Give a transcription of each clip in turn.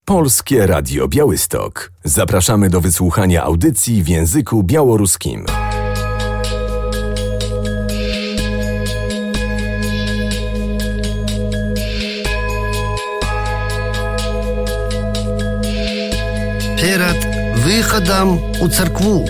Polskie Radio Białystok. Zapraszamy do wysłuchania audycji w języku białoruskim. Перед выходом у церкву.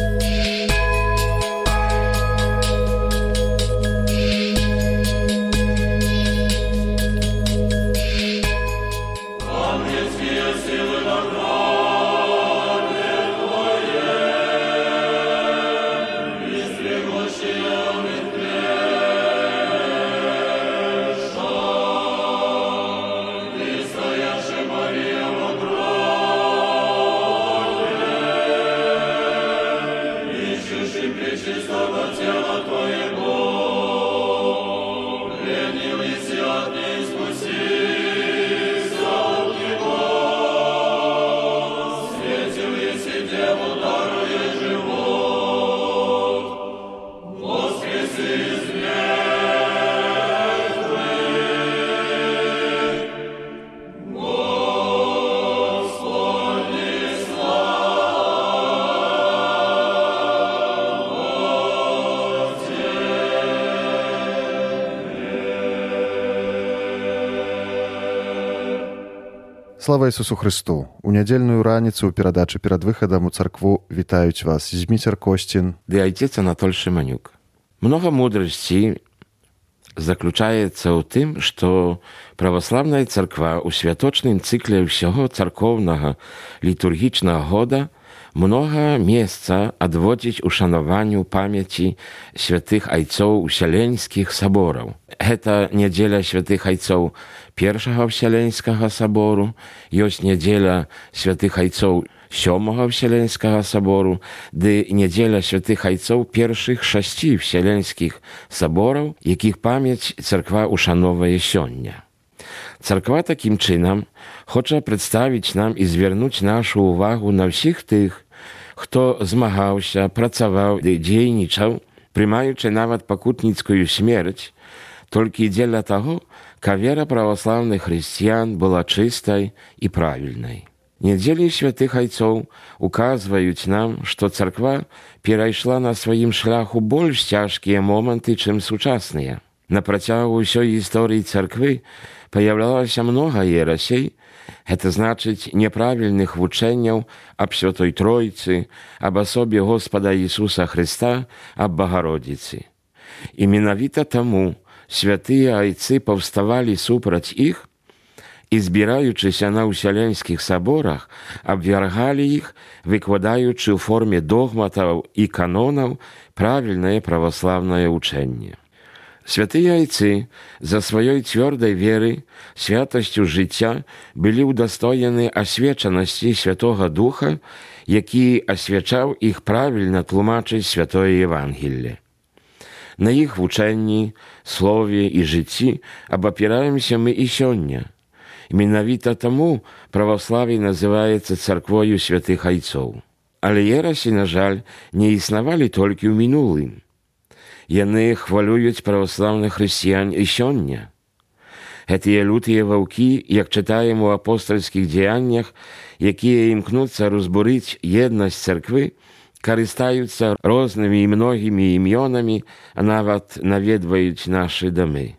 Слава Ісусу Христу! У нядзельную раніцу ў перадачы перад выхадам у царкву вітаюць вас Зміцер Костін ды айцец Анатоль Шыманюк. Многа мудрасці заключаецца ў тым, што праваслаўная царква ў святочным цыкле ўсяго царкоўнага літургічнага года многа месца адводзіць ушанаванню памяці святых айцоў усяленскіх сабораў. Гэта нядзеля святых айцоў Першага Вселенскага сабору, ёсць нядзеля святых айцоў Сёмага Вселенскага сабору, ды нядзеля святых айцоў першых 6 вселенскіх сабораў, якіх памяць царква ушановае сёння. Царква такім чынам хоча прадставіць нам і звярнуць нашу ўвагу на ўсіх тых, хто змагаўся, працаваў ды дзейнічаў, прымаючы нават пакутніцкую смерць, толькі дзеля таго, каб вера праваслаўных хрысціян была чыстай і правільнай. Нядзелі святых айцоў указваюць нам, што царква перайшла на сваім шляху больш цяжкія моманты, чым сучасныя. На працягу ўсёй гісторыі царквы паяўлялася многа ерасей, гэта значыць няправільных вучэнняў аб Святой Тройцы, аб асобе Господа Ісуса Хрыста, аб Багародзіцы. І менавіта таму святыя айцы паўставалі супраць іх і, збіраючыся на ўсяленскіх саборах, абвяргалі іх, выкладаючы ў форме догматаў і канонаў правільнае праваслаўнае ўчэнне. Святыя айцы за сваёй цвёрдай веры, святасцю жыцця былі ўдастоены асвечанасці Святога Духа, які асвячаў іх правільна тлумачыць святое Евангелле. На іх вучэнні, слове і жыцці абапіраемся мы і сёння. Менавіта таму праваславе называецца царквою святых айцоў. Але ерасі, на жаль, не існавалі толькі ў мінулым. Яны хвалююць праваслаўных хрысціян і сёння. Гэтыя лютыя ваўкі, як чытаем у апостальскіх дзеяннях, якія імкнуцца разбурыць еднасць царквы, карыстаюцца рознымі і многімі імёнамі, а нават наведваюць нашы дамы.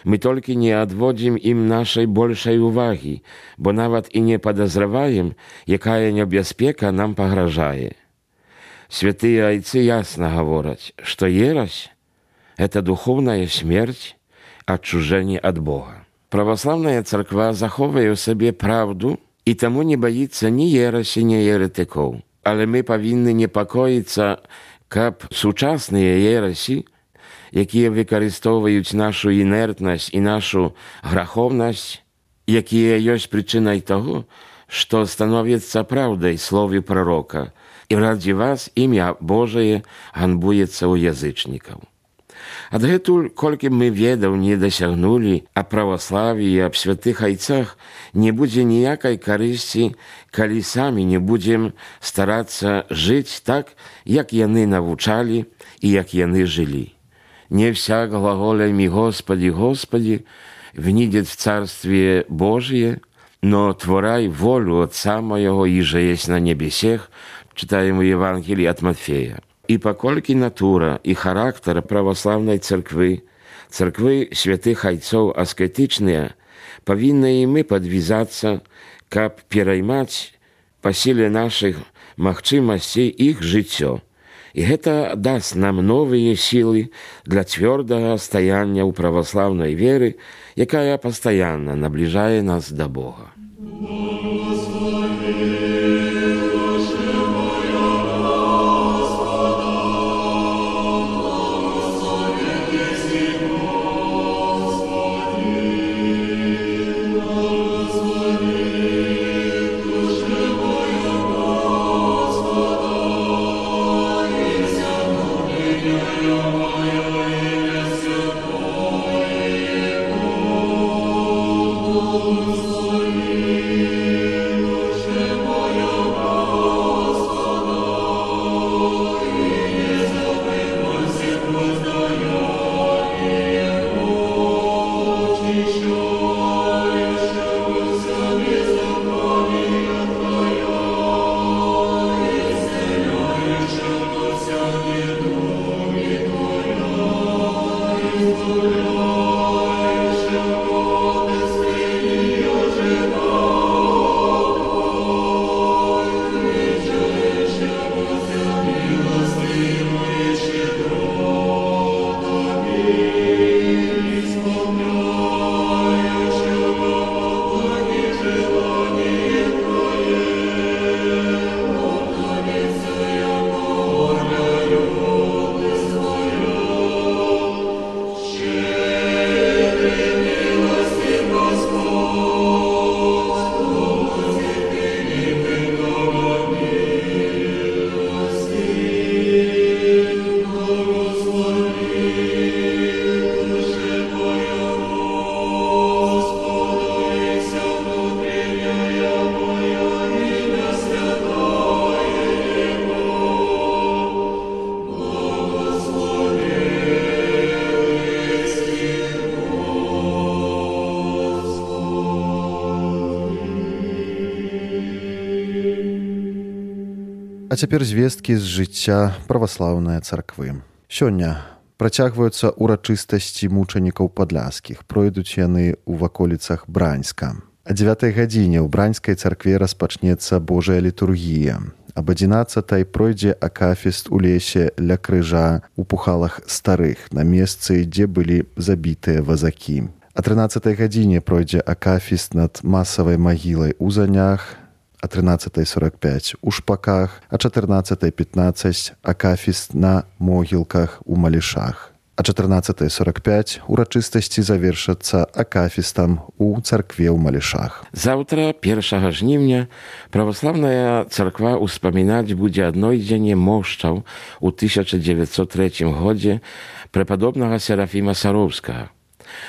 Мы толькі не адводзім ім нашай большай увагі, бо нават і не падазраваем, якая небяспека нам пагражае. Святыя айцы ясна гавораць, што ерась – гэта духоўная смерць, адчужэнне ад Бога. Праваслаўная царква захоўвае ў сабе праўду і таму не баіцца ні ерасі, ні еретыкоў. Але мы павінны непакоіцца, каб сучасныя ерасі, якія выкарыстоўваюць нашу інертнасць і нашу граховнасць, якія ёсць прычынай таго, што становіцца праўдай слове прарока, і раді вас імя Божае ганбуецца ў язычнікаў. Адгэтуль, колькі мы ведаў не дасягнулі аб праваславі і аб святых айцах, не будзе ніякай карысці, калі самі не будзем старацца жыць так, як яны навучалі і як яны жылі. Не вся глаголями «Господи, Господи» внидет в Царствие Божие, но творай волю Отца Моего, иже есть на небесех, читаем в Евангелии от Матфея. И покольки натура и характер православной церкви святых отцов аскетичные, повинны и мы подвязаться, как переймать по силе наших магчимостей их житё. И это даст нам новые силы для твердого стояния у православной веры, якая постоянно наближает нас до Бога. А цяпер звесткі з жыцця праваслаўнай царквы. Сёння працягваюцца урачыстасці мучанікаў падляшскіх. Пройдуць яны ў ваколіцах Браньска. О 9 гадзіне ў Браньскай царкве распачнецца Божая літургія. Аб 11 пройдзе акафіст у лесе ля крыжа у Пухалах Старых, на месцы, дзе былі забітыя вазакі. О 13 гадзіне пройдзе акафіст над масавай магілай у Занях, о 13:45 у Шпаках, о 14:15 акафіст на могілках у Малішах. О 14:45 урачыстасці завершацца акафістам у царкве ў Малішах. Завтра, 1 жнівня, православная царква успамінаць будзе аднойдзенне мошчаў у 1903 годзе преподобнага Серафіма Сароўскага.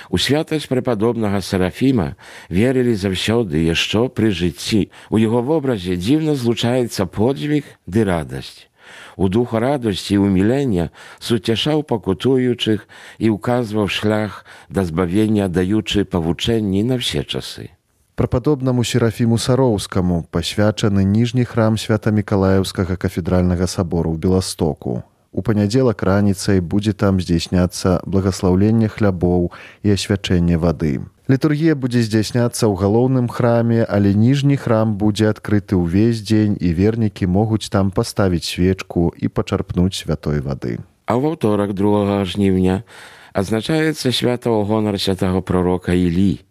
У святасць преподобнага Серафіма верылі заўсёды яшчэ пры жыцці. У яго вобразе дзіўна злучаецца подзвіг ды радасць. У духу радасці і умілення суцяшаў пакутуючых і ўказваў шлях да збавення, даючы павучэнні на ўсе часы. Прападобнаму Серафіму Сароўскаму пасвячаны ніжні храм Свята-Мікалаеўскага кафедральнага сабору ў Беластоку. У панядзелак раніцай будзе там здзейсняцца благаслаўленне хлябоў і асвячэнне вады. Літургія будзе здзейсняцца ў галоўным храме, але ніжні храм будзе адкрыты ўвесь дзень, і вернікі могуць там паставіць свечку і пачарпнуць святой вады. А ў аўторак 2 жніўня адзначаецца свята ў гонар святага пророка Ілі.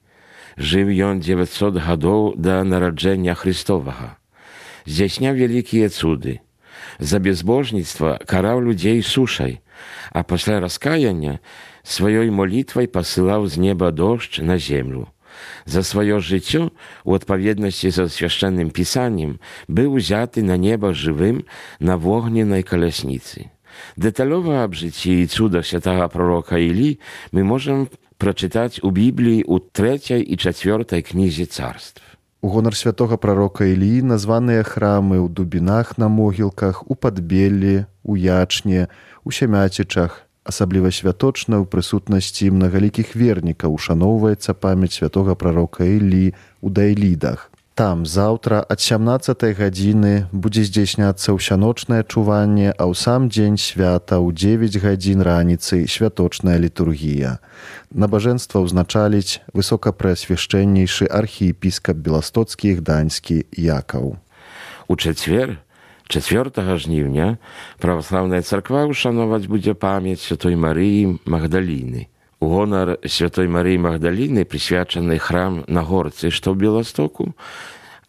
Жыў ён 900 гадоў да нараджэння Христовага. Здзяйсняў вялікія цуды. За безбожніцтва караў людзей сушай, а пасля раскаяння сваёй молітвай пасылаў з неба дождж на землю. За сваё жыццё, у адпаведнасці са свяшчэнным пісаннем, быў узяты на неба жывым на вогненнай калясніцы. Дэталёва аб жыцці і цудах святага пророка Ілі мы можам прачытаць у Бібліі ў 3 і 4 кнізе царств. У гонар святога прарока Іліі названыя храмы ў Дубінах на могілках, у Падбеллі, у Ячне, у Сямяцічах. Асабліва святочна ў прысутнасці мнагалікіх вернікаў ушаноўваецца памяць святога прарока Ілі у Дайлідах. Там заўтра ад 17 гадзіны будзе здзяйсняцца ўсяночнае чуванне, а ў сам дзень свята ў 9 гадзін раніцы святочная літургія. Набажэнства ўзначаліць высокапрэасвяшчэннейшы архіепіскап беластоцкі і гданьскі Якаў. У чацвер, 4 жніўня, праваслаўная царква ушановаць будзе памяць Святой Марыі Магдаліны. У гонар Святой Марыі Магдаліны прысвячаны храм на горцы, што ў Беластоку,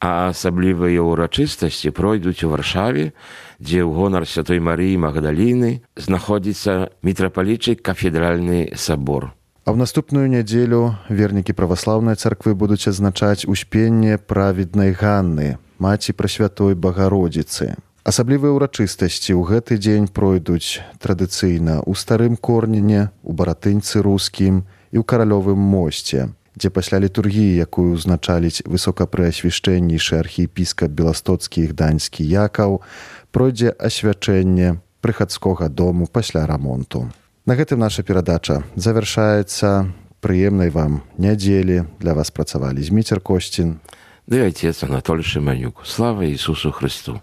а асаблівыя ўрачыстасці пройдуць у Варшаве, дзе ў гонар Святой Марыі Магдаліны знаходзіцца мітрапалічы кафедральны сабор. А ў наступную нядзелю вернікі праваслаўнай царквы будуць адзначаць успенне праведнай Ганны, маці Прасвятой Багародзіцы. Асаблівыя ўрачыстасці ў гэты дзень пройдуць традыцыйна ў Старым Корніне, у Баратынцы Рускім і ў Каралёвым мосце, дзе пасля літургіі, якую ўзначаліць высокапрэасвяшчэннейшы архіепіскап беластоцкі і гданьскі Якаў, пройдзе асвячэнне прыхадскога дому пасля рамонту. На гэтым наша перадача завяршаецца. Прыемнай вам нядзелі. Для вас працавалі Зміцер Косцін ды отец Анатолий Шиманюк. Слава Иисусу Христу!